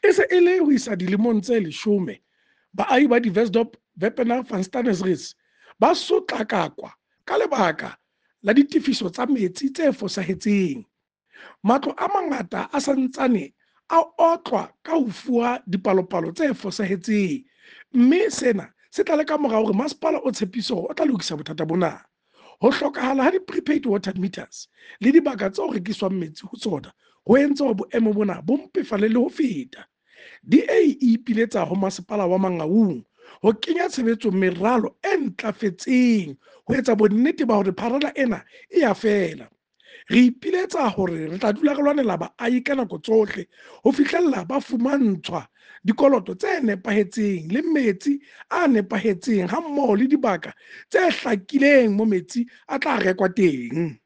E se e le ho isa dilemong tse 10 baahi ba Diversdorp Wepener Van Steenis ba sotlakakwa ka lebaka la ditefiso tsa metsi tse fosahetseng. Matlo a mangata a santsane a otlwa ka ho fuwa dipalopalo tse fosahetseng, mme sena se tla le ka mora hore masepala o tshepise hore o tla lokisa bothata bona. Ho hlokahala ha di-prepaid water meters le dibaka tseo rekiswang metsi ho tsona ho entse hore boemo bona bo mpefale le ho feta. DA e ipiletsa ho masepala wa Mangaung ho kenya tshebetsong meralo e ntlafetseng ho etsa bonnete ba hore pharela ena e ya fela. Re ipiletsa hore re tla dula re lwanela baahi ka nako tsohle ho fihlella ba fumantshwa dikoloto tse nepahetseng le metsi a nepahetseng hammoho le dibaka tse hlakileng mo metsi a tla rekwa teng.